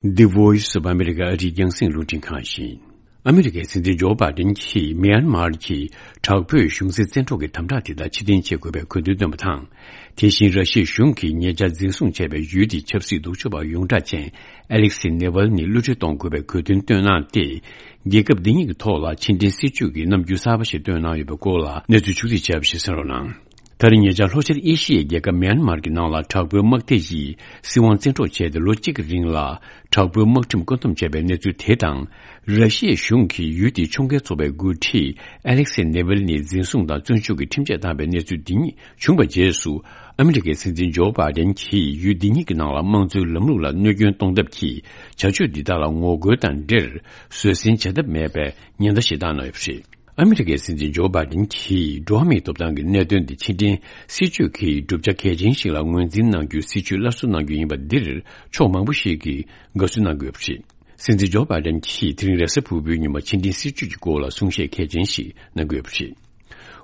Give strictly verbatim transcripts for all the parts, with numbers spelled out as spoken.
The Voice of America ཨ་རིའི་རྒྱང་སྲིང་རླུང་འཕྲིན་ཁང་ཡིན། ཨ་མི་རི་ཀའི་སྲིད་འཛིན་ཇོ་བྷའི་ཌེན་གྱིས་མིའན་མར་གྱི་དྲག་པོས་གཞུང་འཛིན་བཙན་འཕྲོག་གི་དམ་དྲག་དེ་དག་ཕྱིར་འཐེན་བྱེད་དགོས་པའི་དགོས་འདུན་བཏོན་པ་དང་། དེ་བཞིན་ར་ཤི་ཡའི་གཞུང་གིས་ཉེ་ཆར་འཛིན་བཟུང་བྱས་པའི་ཡུལ་དེའི་ཆབ་སྲིད་ལྡོག་ཕྱོགས་པ་ཡོངས་གྲགས་ཅན་ཨེ་ལེག་སི་ནེ་ཝལ་ནི་གློད་གྲོལ་གཏོང་དགོས་པའི་དགོས་འདུན་བཏོན་གནང་སྟེ། རྒྱལ་ཁབ་འདི་གཉིས་ཀྱི་ཐོག་ལ་ཕྱི་འབྲེལ་སྲིད་ཇུས་ཀྱི་རྣམ་འགྱུར་གསར་པ་ཞིག་བཏོན་གནང་ཡོད་པའི་སྐོར་ལ་གནས་ཚུལ་ཕྱོགས་སྒྲིག་བྱས་པ་ཞིག་གསན་རོགས་གནང་། ད་རེས་ཉེ་ཆར་ལྷོ་ཤར་ཨེ་ཤི་ཡའི་རྒྱལ་ཁབ་མིའན་མར་གྱི་ནང་ལ་དྲག་པོའི་དམག་སྡེ་ཡིས་སྲིད་དབང་བཙན་འཕྲོག་བྱས་ཏེ་ལོ་གཅིག་གི་རིང་ལ་དྲག་པོའི་དམག་ཁྲིམས་བཀོད་འདོམས་བྱས་པའི་གནས་ཚུལ་དེ་དང་། ར་ཤི་ཡའི་གཞུང་གིས་ཡུལ་དེའི་ཕྱོགས་འགལ་ཚོགས་པའི་འགོ་ཁྲིད་ཨ་ལེག་སེ་ནེ་ཝེལ་ནི་འཛིན་བཟུང་དང་བཙོན་འཇུག་གི་ཁྲིམས་ཆད་བཏང་བའི་གནས་ཚུལ་འདི་གཉིས་བྱུང་བའི་རྗེས་སུ། ཨ་མི་རི་ཀའི་སྲིད་འཛིན་ཇོ་བྷའི་ཌེན་གྱིས་ཡུལ་འདི་གཉིས་ཀྱི་ནང་ལ་དམངས་གཙོའི་ལམ་ལུགས་ལ་གནོད་སྐྱོན་གཏོང་ཐབས་ཀྱི་བྱ་སྤྱོད་འདི་དག་ལ་ངོ་རྒོལ་དང་འབྲེལ་བཟོད་བསྲན་བྱ་ཐབས་མེད་པའི་ཉེན་བརྡ་ཞིག་བཏང་གནང་ཡོད་པ་རེད། ཨ་མི་རི་ཀའི་སྲིད་འཛིན་ཇོ་བྷའི་ཌེན་གྱིས་འགྲོ་བ་མིའི་ཐོབ་ཐང་གི་གནད་དོན་འདི་ཕྱི་འབྲེལ་སྲིད་ཇུས་ཀྱི་གྲུབ་ཆ་གལ་ཆེན་ཞིག་ལ་ངོས་འཛིན་གནང་རྒྱུའི་སྲིད་ཇུས་སླར་གསོ་གནང་རྒྱུ་ཡིན་པ་འདིར་ཕྱོགས་མང་པོ་ཞིག་གིས་དགའ་བསུ་གནང་གི་ཡོད་པ་རེད། སྲིད་འཛིན་ཇོ་བྷའི་ཌེན་གྱིས་དེ་རིང་རེས་གཟའ་ཕུར་བུའི་ཉིན་མོ་ཕྱི་འབྲེལ་སྲིད་ཇུས་ཀྱི་སྐོར་ལ་གསུང་བཤད་གལ་ཆེན་ཞིག་གནང་གི་ཡོད་པ་རེད།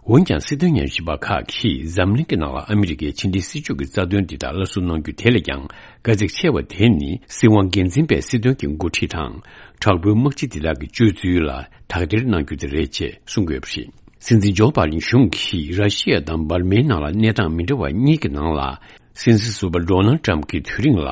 འོན་ཀྱང་སྲིད་དོན་ཉམས་ཞིབ་པ་ཁག་གིས་འཛམ་གླིང་གི་ནང་ལ་ཨ་མི་རི་ཀའི་ཕྱི་འབྲེལ་སྲིད་ཇུས་ཀྱི་རྩ་དོན་འདི་དག་སླར་གསོ་གནང་རྒྱུ་དེ་ལས་ཀྱང་དཀའ་ཚེགས་ཆེ་བ་དེ་ནི་སྲིད་དབང་སྒེར་འཛིན་པའི་སྲིད་དོན་གྱི་འགོ་ཁྲིད་དང་། དྲག་པོའི་དམག་སྤྱི་འདི་དག་གི་སྤྱོད་ཚུལ་ལ་དག་ཐེར་གནང་རྒྱུ་དེ་རེད་ཅེས་གསུང་གི་ཡོད་པ་རེད། སྲིད་འཛིན་ཇོ་བྷའི་ཌེན་གཞུང་གིས་ར་ཤི་ཡ་དང་འབར་མའི་ནང་ལ་གནས་སྟངས་མི་འདྲ་བ་གཉིས་ཀྱི་ནང་ལ། སྲིད་འཛིན་ཟུར་པ་ཌོ་ནལ་ཊམ་གྱི་དུས་རིང་ལ་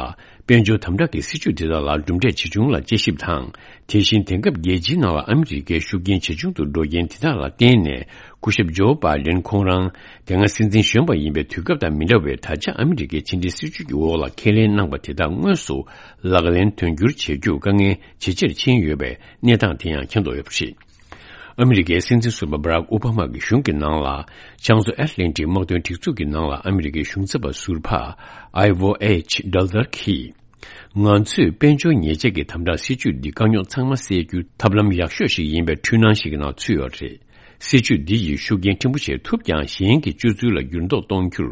དཔལ་འབྱོར་དམ་དྲག་གི་སྲིད་ཇུས་དེ་དག་ལ་གྲུབ་འབྲས་ཇི་བྱུང་ལ་དཔྱད་ཞིབ་དང་། དེ་བཞིན་དེང་སྐབས་རྒྱལ་སྤྱིའི་ནང་ལ་ཨ་མི་རི་ཀའི་ཤུགས་རྐྱེན་ཇེ་ཆུང་དུ་འགྲོ་རྐྱེན་དེ་དག་ལ་བརྟེན་ནས་སྐུ་ཞབས་ཇོ་བྷའི་ཌེན་ཁོང་རང་དེ་སྔ་སྲིད་འཛིན་གཞོན་པ་ཡིན་པའི་དུས་སྐབས་དང་མི་འདྲ་བའི་ད་ཆ་ཨ་མི་རི་ཀའི་ཕྱི་འབྲེལ་སྲིད་ཇུས་ཀྱི་འོག་ལ་ཁས་ལེན་གནང་བ་དེ་དག་དངོས་སུ་ལག་ལེན་དོན་འཁྱོལ་བྱེད་རྒྱུ་དཀའ་ངལ་ཇེ་ཆེར་ཕྱིན་ཡོད་པའི་གནས་སྟངས་དེ་ཡང་མཁྱེན་རྟོགས་ཡོད་པ་རེད། ཨ་མི་རི་ཀའི་སྲིད་འཛིན་ཟུར་པ་བྷ་རག་ཨོ་བྷ་མ་གི་གཞུང་གི་ནང་ལ་བྱང་མཚོ་ཨེཊ་ལན་ཊིག་དམག་དོན་སྒྲིག་འཛུགས་ཀྱི་ནང་ལ་ཨ་མི་རི་ཀའི་གཞུང་ཚབ་པ་ཟུར་པ་ཨའི་ཝོ་ཨེཆ་ཌལ་ཏར་གྱིས། ང་ཚོས་དཔལ་འབྱོར་ཉེས་ཆད་ཀྱི་དམ་དྲག་སྲིད་ཇུས་འདི་དཀའ་རྙོག་ཚང་མ་སེལ་རྒྱུའི་ཐབས་ལམ་ཡག་ཤོས་ཤིག་ཡིན་པའི་འཁྲུལ་སྣང་ཞིག་གི་ནང་ཚུད་ཡོད་རེད། སྲིད་ཇུས་འདི་ཡིས་ཤུགས་རྐྱེན་ཕྲན་བུ་ཞིག་ཐུབ་ཀྱང་གཞན་གྱི་སྤྱོད་ཚུལ་ལ་འགྱུར་ལྡོག་གཏོང་རྒྱུར་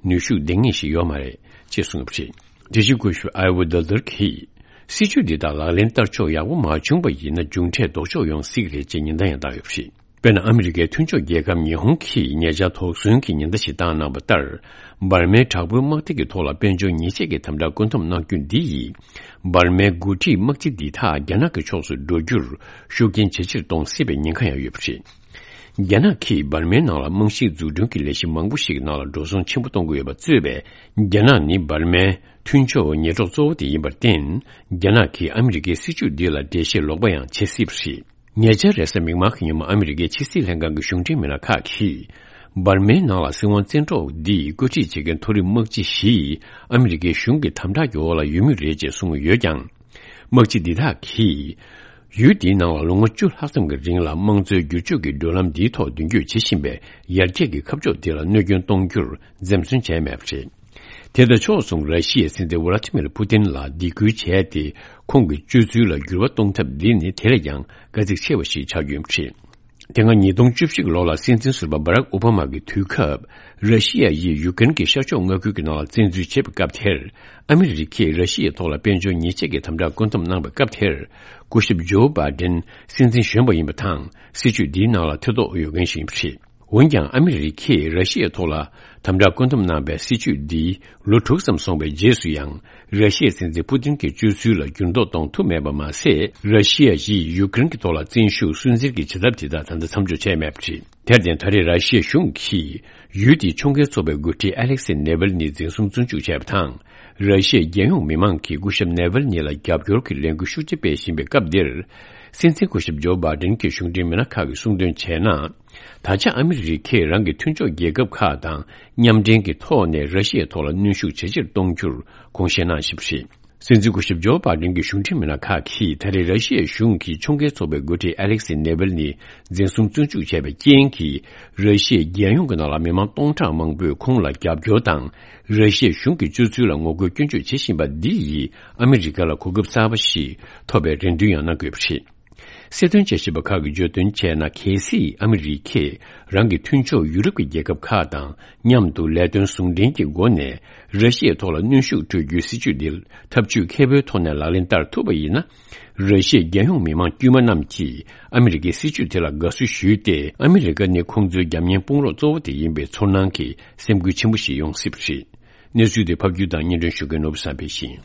ནུས་ཤུགས་ལྡན་ངེས་ཤིག་ཡོད་མ་རེད་ཅེས་གསུངས་ཡོད་པ་རེད། དེ་བཞིན་སྐུ་ཞབས་ཨའི་ཝོ་ཌལ་ཏར་གྱིས། སྲིད་ཇུས་འདི་དག་ལག་ལེན་བསྟར་ཕྱོགས་ཡག་པོ་མ་བྱུང་བ་ཡིན་ན་མཇུག་འབྲས་ལྡོག་ཕྱོགས་ཡོང་སྲིད་ཀྱི་རེད་ཅེས་ཉེན་བརྡ་ཡང་བཏང་ཡོད་པ་རེད། དཔེར་ན་ཨ་མི་རི་ཀའི་མཐུན་ཕྱོགས་རྒྱལ་ཁབ་ཉི་ཧོང་གིས་ཉེ་ཆར་དོགས་ཟོན་གྱི་ཉེན་བརྡ་ཞིག་བཏང་གནང་བ་ལྟར། འབར་མའི་དྲག་པོའི་དམག་སྡེ་གི་ཐོག་ལ་དཔལ་འབྱོར་ཉེས་ཆད་ཀྱི་དམ་དྲག་བཀོད་འདོམས་གནང་རྒྱུ་འདི་ཡིས། འབར་མའི་འགོ་ཁྲིད་དམག་སྤྱི་འདི་དག་རྒྱ་ནག་གི་ཕྱོགས་སུ་འགྲོ་རྒྱུར་ཤུགས་རྐྱེན་ཇེ་ཆེར་གཏོང་སྲིད་པའི་ཉེན་ཁ་ཡང་ཡོད་པ་རེད། རྒྱ་ནག་གིས་འབར་མའི་ནང་ལ་རྨང་གཞིའི་འཛུགས་སྐྲུན་གྱི་ལས་གཞི་མང་པོ་ཞིག་ནང་ལ་འགྲོ་སོང་ཆེན་པོ་གཏོང་གི་ཡོད་པ་གཙོས་པའི་རྒྱ་ནག་ནི་འབར་མའི་མཐུན་ཕྱོགས་ཉེ་གྲོགས་གཙོ་བོ་དེ་ཡིན་པར་བརྟེན། རྒྱ་ནག་གིས་ཨ་མི་རི་ཀའི་སྲིད་ཇུས་འདི་ལ་འགྲེལ་བཤད་ལོག་པ་ཡང་བྱེད་སྲིད་པ་རེད། ཉེ་ཆར་རེས་གཟའ་མིག་དམར་གྱི་ཉིན་མོ་ཨ་མི་རི་ཀའི་ཕྱི་སྲིད་ལྷན་ཁང་གི་གཞུང་འབྲེལ་མི་སྣ་ཁག་གིས། འབར་མའི་ནང་ལ་སྲིད་དབང་བཙན་འཕྲོག་འདི་བཀོད་སྒྲིག་བྱེད་མཁན་མཐོ་རིམ་དམག་སྤྱི་བཞི་ཨ་མི་རི་ཀའི་གཞུང་གི་དམ་དྲག་གི་འོག་ལ་ཡོད་མུས་རེད་ཅེས་གསུངས་ཡོད་ཀྱང་། དམག་སྤྱི་འདི་དག་གིས། ཡུལ་འདིའི་ནང་ལ་ལོ་ངོ་བཅུ་ལྷག་ཙམ་གྱི་རིང་ལ་དམངས་གཙོའི་བསྒྱུར་བཅོས་ཀྱི་བགྲོད་ལམ་འདིའི་ཐོག་མདུན་སྐྱོད་བྱེད་བཞིན་པའི་ཡར་རྒྱས་ཀྱི་ཁ་ཕྱོགས་དེ་ལ་གནོད་སྐྱོན་གཏོང་རྒྱུར་འཛེམ་ཟོན་བྱས་མེད་པ་རེད། དེ་དང་ཕྱོགས་མཚུངས་ར་ཤི་ཡའི་སྲིད་འཛིན་ཝ་ལ་ཏི་མིར་པུ་ཏིན་ལ་སྡིགས་སྐུལ་བྱས་ཏེ་ཁོང་གི་སྤྱོད་ཚུལ་ལ་འགྱུར་བ་གཏོང་ཐབས་འདི་ནི་དེ་ལས་ཀྱང་དཀའ་ཚེགས་ཆེ་བ་ཞིག་ཆགས་རྒྱུ་ཡིན་པ་རེད། དེ་སྔ་ཉིས་སྟོང་བཅུ་བཞི་གི་ལོ་ལ་སྲིད་འཛིན་ཟུར་པ་བྷ་རག་ཨོ་བྷ་མ་གི་དུས་སྐབས་ར་ཤི་ཡ་ཡིས་ཡུ་ཀེ་རེན་གྱི་ཤར་ཕྱོགས་མངའ་ཁུལ་གྱི་ནང་ལ་བཙན་འཛུལ་བྱས་པའི་སྐབས་དེར་ཨ་མི་རི་ཀས་ར་ཤི་ཡའི་ཐོག་ལ་དཔལ་འབྱོར་ཉེས་ཆད་ཀྱི་དམ་དྲག་བཀོད་འདོམས་གནང་བའི་སྐབས་དེར་སྐུ་ཞབས་ཇོ་བྷའི་ཌེན་སྲིད་འཛིན་གཞོན་པ་ཡིན་པ་དང་སྲིད་ཇུས་འདིའི་ནང་ལ་ཐེ་གཏོགས་ཡོད་མཁན་ཞིག་ཡིན་པ་རེད། འོན་ཀྱང་ཨ་མི་རི་ཀས་ར་ཤི་ཡའི་ཐོག་ལ་དམ་དྲག་བཀོད་འདོམས་གནང་བའི་སྲིད་ཇུས་འདི་ལོ་དྲུག་ཙམ་སོང་བའི་རྗེས་སུ་ཡང་ར་ཤི་ཡའི་སྲིད་འཛིན་པུ་ཏིན་གྱི་སྤྱོད་ཚུལ་ལ་འགྱུར་ལྡོག་གཏོང་ཐུབ་མེད་པ་མ་ཟད། ར་ཤི་ཡ་ཡིས་ཡུ་ཀེ་རེན་གྱི་ཐོག་ལ་བཙན་ཤུགས་སུན་གཙེར་གྱི་བྱེད་ཐབས་དེ་དག་ད་ལྟ་མཚམས་འཇོག་བྱས་མེད་པ་རེད། དེར་བརྟེན་ད་རེས་ར་ཤི་ཡའི་གཞུང་གིས་ཡུལ་དེའི་ཕྱོགས་འགལ་ཚོགས་པའི་འགོ་ཁྲིད་ཨ་ལེག་སེ་ནེ་ཝེལ་ནི་འཛིན་བཟུང་བཙོན་འཇུག་བྱས་པ་དང་། ར་ཤི་ཡའི་རྒྱལ་ཡོངས་མི་མང་གིས་སྐུ་ཞབས་ནེ་ཝེལ་ནི་ལ་རྒྱབ་སྐྱོར་གྱི་ལས་འགུལ་ཤུགས་ཆེ་སྤེལ་བཞིན་པའི་སྐབས་འདིར། སྲིད་འཛིན་སྐུ་ཞབས་ཇོ་བྷའི་ཌེན་གྱི་གཞུང་འབྲེལ་མི་སྣ་ཁག་གིས་གསུངས་དོན་བྱས་ན། ད་ཆ་ཨ་མི་རི་ཀས་རང་གི་མཐུན་ཕྱོགས་རྒྱལ་ཁབ་ཁག་དང་མཉམ་འབྲེལ་གྱི་ཐོག་ནས་ར་ཤི་ཡའི་ཐོག་ལ་གནོན་ཤུགས་ཇེ་ཆེར་གཏོང་རྒྱུར་དགོངས་བཞེས་གནང་བཞིན་པ་རེད། སྲིད་འཛིན་སྐུ་ཞབས་ཇོ་བྷའི་ཌེན་གྱི་གཞུང་འབྲེལ་མི་སྣ་ཁག་གིས་ད་རེས་ར་ཤི་ཡའི་གཞུང་གིས་ཕྱོགས་འགལ་ཚོགས་པའི་འགོ་ཁྲིད་ཨ་ལེག་སེ་ནེ་ཝེལ་ནི་འཛིན་བཟུང་བཙོན་འཇུག་བྱས་པའི་རྐྱེན་གྱིས་ར་ཤི་ཡའི་རྒྱལ་ཡོངས་ཀྱི་ནང་ལ་མི་མང་སྟོང་ཕྲག་མང་པོས་ཁོང་ལ་རྒྱབ་སྐྱོར་དང་། ར་ཤི་ཡའི་གཞུང་གི་སྤྱོད་ཚུལ་ལ་ངོ་རྒོལ་སྐྱོན་བརྗོད་བྱེད་བཞིན་པ་འདི་ཡིས་ཨ་མི་རི་ཀ་ལ་གོ་སྐབས་གསར་པ་ཞིག་ཐོབ་པའི་རེ་འདུན་ཡང་གནང་དགོས་པ་རེད། སྲིད་དོན་དཔྱད་ཞིབ་པ་ཁག་གིས་བརྗོད་དོན་བྱས་ན། གལ་སྲིད་ཨ་མི་རི་ཀས་རང་གི་མཐུན་ཕྱོགས་ཡུ་རོབ་ཀྱི་རྒྱལ་ཁབ་ཁག་དང་མཉམ་དུ་ལས་དོན་ཟུང་འབྲེལ་གྱི་སྒོ་ནས་ར་ཤི་ཡའི་ཐོག་ལ་གནོན་ཤུགས་སྤྲོད་རྒྱུའི་སྲིད་ཇུས་འདི་ཐབས་ཇུས་མཁས་པོའི་ཐོག་ནས་ལག་ལེན་བསྟར་ཐུབ་པ་ཡིན་ན། ར་ཤི་ཡའི་རྒྱལ་ཡོངས་མི་མང་དཀྱུས་མ་རྣམས་ཀྱིས་ཨ་མི་རི་ཀའི་སྲིད་ཇུས་དེ་ལ་དགའ་བསུ་ཞུས་ཏེ། ཨ་མི་རི་ཀ་ནི་ཁོང་ཚོའི་རྒྱབ་གཉེར་དཔུང་རོགས་གཙོ་བོ་དེ་ཡིན་པའི་ཚོར་སྣང་གི་སེམས་འགུལ་ཆེན་པོ་ཞིག་ཡོང་སྲིད་པ་རེད། གནས་ཚུལ་དེ་ཕབ་སྒྱུར་དང་སྙན་སྒྲོན་ཞུ་མཁན་ནོར་བུ་བསམ་འཕེལ་ཡིན།